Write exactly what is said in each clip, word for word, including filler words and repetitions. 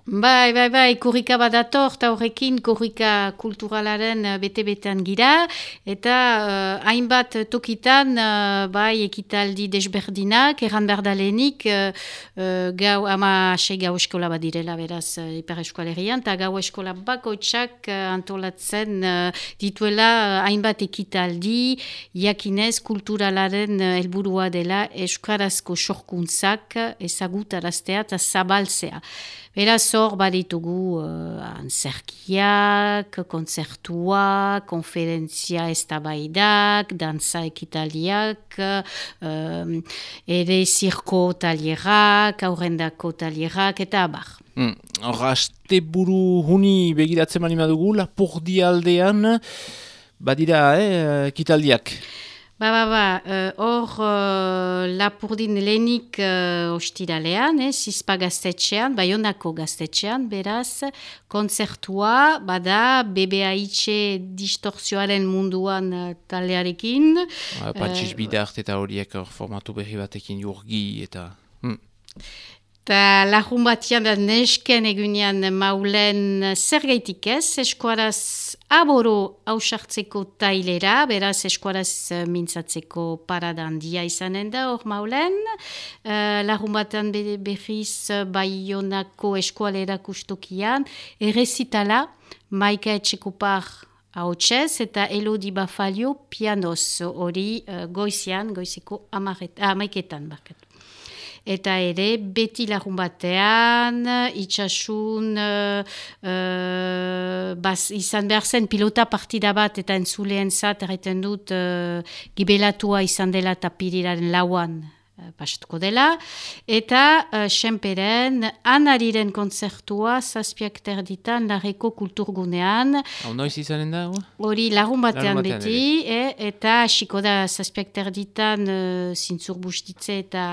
Bai, bai, bai, korrika badator, eta horrekin korrika kulturalaren uh, bete-betean gira, eta uh, hainbat tokitan, uh, bai, ekitaldi desberdinak, erran behar da lehenik, uh, uh, gau, ama ase gau eskola badirela, beraz, uh, Ipar Eskualerian, eta gau eskola bakoitzak uh, antolatzen uh, dituela uh, hainbat ekitaldi, jakinez kulturalaren uh, helburua dela euskarazko sorkuntzak ezagutaraztea eta zabaltzea. Beraz, hor baditugu uh, antzerkiak, kontzertuak, konferentzia eztabaidak, dantza ekitaldiak, uh, ere zirko talierak, aurrendako talierak, eta abar. Mm. Hor, aste buru huni begiratzen mani madugu, Lapurdi aldean, badira, eh, ekitaldiak. Ba, ba, ba, hor uh, uh, Lapurdin lehenik uh, ostiralean, eh, Zizpa gaztetxean, Baionako gaztetxean, beraz, kontzertua, bada, B B A H distortzioaren munduan uh, taldearekin. Ba, Patxiz uh, bidart eta horiek formatu berri batekin jurgi eta... Hmm. Eta lahun batian da nesken egunean maulen zer gaitik ez, eskuaraz aboro hausartzeko tailera, beraz eskuaraz mintzatzeko parada handia izanen da hor maulen. Uh, lahun batan berriz Baionako eskualera kustokian, errezitala, Maika Etxekopar ahotsez eta Elodi Bafalio pianoz hori uh, goizian, goizeko amaiketan barkatu. Eta ere, beti lagun batean, itxasun, uh, uh, baz, izan behar zen pilota partida bat eta entzuleen zat, erraiten dut, uh, gibelatua izan dela eta piriraren lauan uh, pasatuko dela. Eta, uh, senperen, Anariren kontzertua, zazpiak terditan, Larreko kulturgunean. Hau noiz izanen da? Hori lagun batean, batean beti, eh, eta hasiko da zazpiak terditan uh, zintzur bustitze eta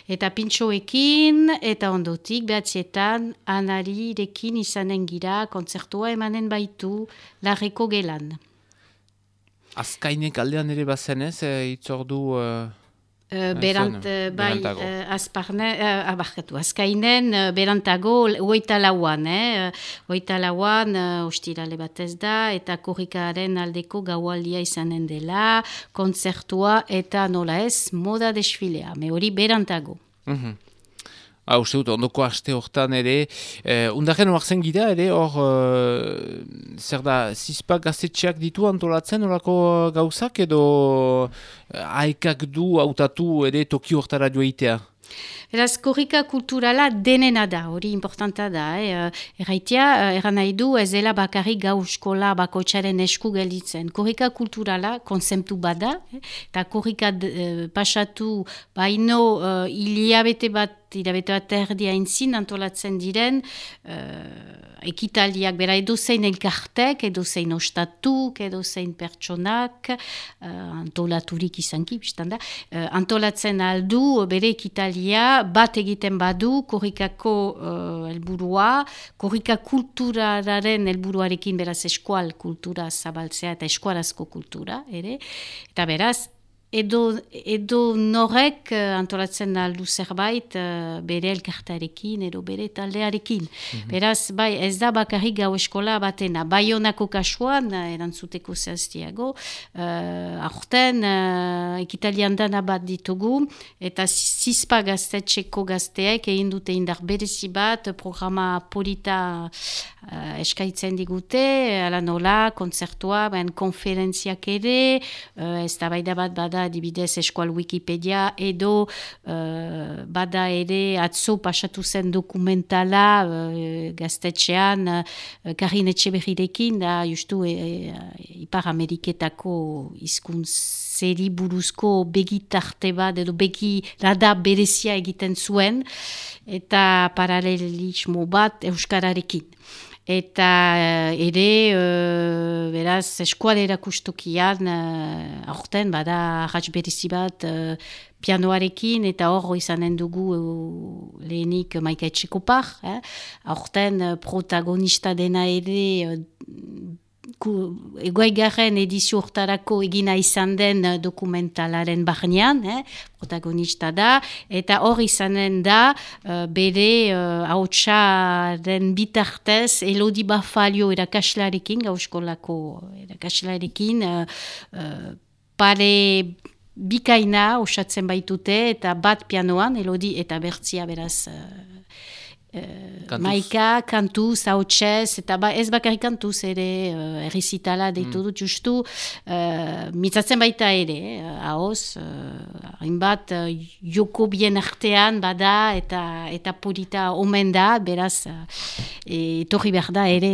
eta pintxoekin, eta ondotik behatzietan Anarirekin izanen gira kontzertua emanen baitu Larreko gelan. Azkainek aldean ere bazen ez, e, itzordu... Uh... Uh, berant, uh, bai, uh, azparne, uh, abarkatu, azkainen uh, berantago, oita lauan, eh? Oita lauan, uh, ostirale batez da, eta korrikaren aldeko gaualdia izanen dela, kontzertua eta nola ez, moda desfilea, me hori berantago. Mm-hmm. Ha, uste dut, ondoko aste hortan ere, eh, undaren oartzen gira ere, hor, uh, zer da, Zizpa gaztetxeak ditu antolatzen horako gauzak, edo uh, haikak du hautatu ere toki hortara joaitea? Beraz, korrika kulturala denena da, hori importanta da. Eh? Erraitea, erran nahi du, ez dela bakarrik gau eskola bakoitzaren esku gelditzen. Korrika kulturala konzeptu bada, eh? Eta korrika eh, pasatu baino uh, hilabete bat, hilabete bat erdi haintzin antolatzen diren uh, ekitaldiak, bera edozein elkartek, edozein ostatuk, edozein pertsonak, uh, antolaturik izanki, biztanda, uh, antolatzen aldu bere ekitaldia, bat egiten badu, korrikako uh, helburua, korrika kulturaren helburuarekin beraz eskual kultura zabaltzea eta eskuarazko kultura, ere, eta beraz, Edo, edo norek uh, antolatzen aldu zerbait uh, bere elkartarekin edo bere taldearekin. Mm-hmm. Beraz, bai, ez da bakarrik gau eskola batena. Baionako kasuan, uh, erantzuteko zehaztiago, uh, aurten uh, ekitalian dana bat ditugu, eta Zizpa gaztetxeko gazteek egin dute indar berezi bat, programa polita uh, eskaitzen digute, ala nola, kontzertua, ben konferentziak ere, uh, ez da baida bat bada adibidez eskual Wikipedia edo uh, bada ere atzo pasatu zen dokumentala uh, gaztetxean uh, Karin Etxeberrirekin da justu e, e, Ipar Ameriketako hizkuntzeri buruzko begitarte bat edo begirada berezia egiten zuen eta paralelismo bat euskararekin. Eta uh, ere, uh, beraz, eskualera kustokian, uh, aurten, bada, ratz berezi bat, uh, pianoarekin, eta hor izanen dugu uh, lehenik Maika Etxekopar, eh? Aurten, uh, protagonista dena ere, uh, egoigarren edizio hortarako egina izan den dokumentalaren barnean, eh, protagonista da, eta hor izanen da uh, bere uh, hautsaren bitartez Elodi Bafalio erakaslarekin, gauskolako erakaslarekin, uh, uh, pare bikaina osatzen baitute, eta bat pianoan, Elodi eta Bertzia beraz... Uh, Uh, maika, kantuz, hautsez, eta ba, ez bakarrik kantuz ere, uh, errizitala deitu dut justu, uh, mitzatzen baita ere, eh, haoz, uh, hainbat uh, joko bien artean bada, eta eta polita omen da, beraz, uh, etorri behar da ere,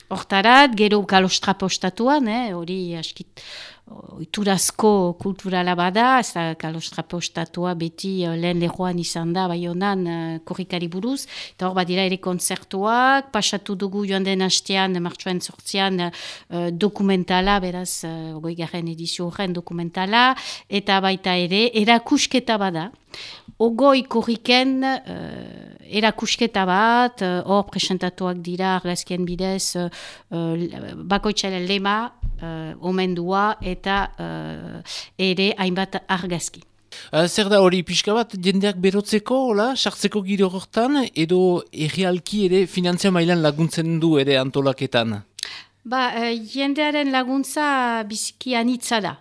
hortarat, uh, gero kalostra postatuan, hori eh, askit, oiturazko kulturala bada, ez da kalostra postatua beti uh, lehen lehoan izan da, bai honan uh, korrikari buruz, eta hor badira ere kontzertuak, pasatu dugu joan den hastean, martxoan sortzian uh, dokumentala, beraz, uh, ogoi-garren edizio horren dokumentala, eta baita ere, erakusketa bada, ogoi korriken uh, erakusketa bat, hor uh, presentatuak dira argazkien bidez, uh, uh, bakoitzaren lema, uh, omendua, eta uh, ere hainbat argazki. Uh, zer da hori pixka bat, jendeak berotzeko, hola, sartzeko giro hortan, edo errealki ere finantzia mailan laguntzen du ere antolaketan? Ba, uh, jendearen laguntza biziki anitza da.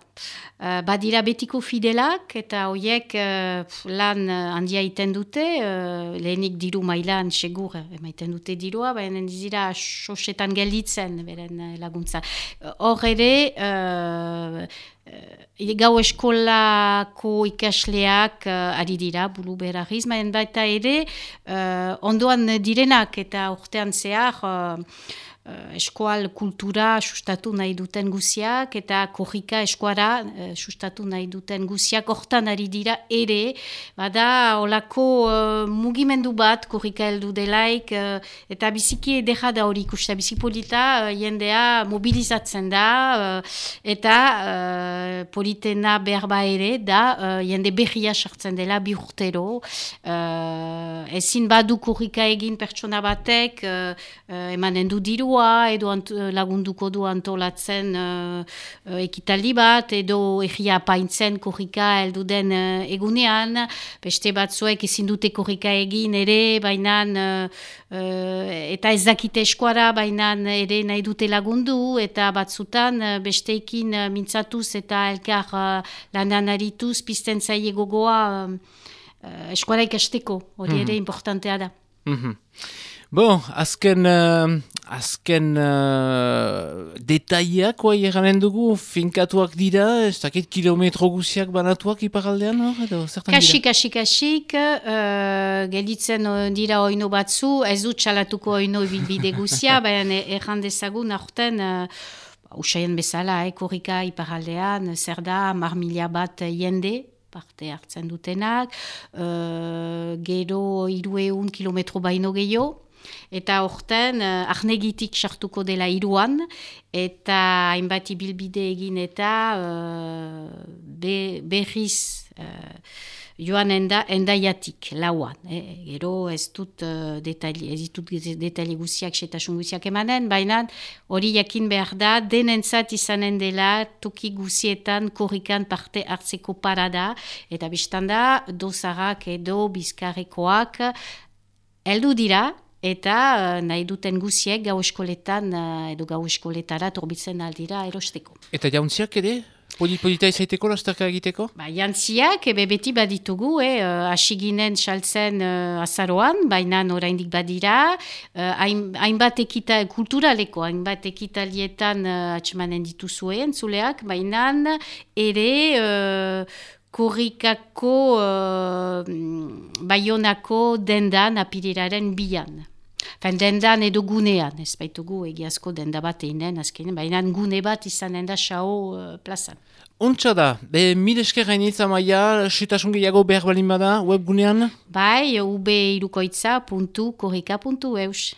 Uh, badira betiko fidelak, eta horiek uh, lan uh, handia iten dute, uh, lehenik diru mailan segur emaiten dute dirua, baina dira sosetan gelditzen beren uh, laguntza. Hor uh, ere, uh, uh, gau eskolako ikasleak uh, ari dira, bulu berariz, baina baita ere, uh, ondoan direnak eta urtean zehar, uh, Uh, eskual kultura sustatu nahi duten guziak, eta korrika eskuara uh, sustatu nahi duten guziak hortan ari dira ere, bada olako uh, mugimendu bat korrika heldu delaik, uh, eta biziki edera da hori ikusta, biziki polita uh, jendea mobilizatzen da, uh, eta uh, politena berba ere da, uh, jende berria sartzen dela bi urtero, uh, ezin badu korrika egin pertsona batek, uh, uh, emanen du diru edo ant, lagunduko du antolatzen uh, uh, ekitaldi bat, edo egia paintzen korrika heldu den uh, egunean, beste batzuek ezin dute korrika egin ere, baina uh, uh, eta ez dakite eskuara, baina ere nahi dute lagundu, eta batzutan uh, besteekin uh, mintzatuz eta elkar uh, lanan arituz pizten zaie gogoa uh, uh, eskuara ikasteko, hori mm-hmm. ere importantea da. Mm-hmm. Bon, azken, uh, azken uh, detaiak oai eganen dugu, finkatuak dira, ez dakit kilometro guziak banatuak iparaldean, hor, edo zertan dira? Kasik, kasik, kasik, uh, gelditzen dira oino batzu, ez dut txalatuko oino bilbide guzia, baina erran dezagun aurten, uh, usaien bezala, eh, korrika iparaldean, zer da, mar mila bat jende, parte hartzen dutenak, uh, gero hiruehun kilometro baino gehiago, eta horten uh, arnegitik sartuko dela hiruan, eta hainbat ibilbide egin eta uh, be, berriz uh, joan enda, endaiatik, lauan. Eh? Gero ez dut uh, detaili, ez ditut detaili guziak, setasun guziak emanen, baina hori jakin behar da, denentzat izanen dela toki guzietan korrikan parte hartzeko parada, eta biztan da, dozarak edo bizkarrekoak heldu dira, eta uh, nahi duten guziek gau eskoletan uh, edo gau eskoletara torbitzen aldira erosteko. Eta jauntziak ere? Polita izaiteko, lasterka egiteko? Ba, jantziak, ebe beti baditugu, eh, asiginen saltzen uh, azaroan, baina oraindik badira, uh, hainbat ekita, kulturaleko, hainbat ekitalietan uh, atxemanen dituzuen, zuleak, baina ere uh, korrikako uh, baionako dendan apiriraren bian. Fen dendan edo gunean, ez baitugu egiazko denda bat einen, azkenen, baina gune bat izanen da xao uh, plazan. Ontsa da, be, mil esker gainitza maia, setasun gehiago behar balin bada, webgunean? Bai, ube irukoitza puntu korrika puntu eus.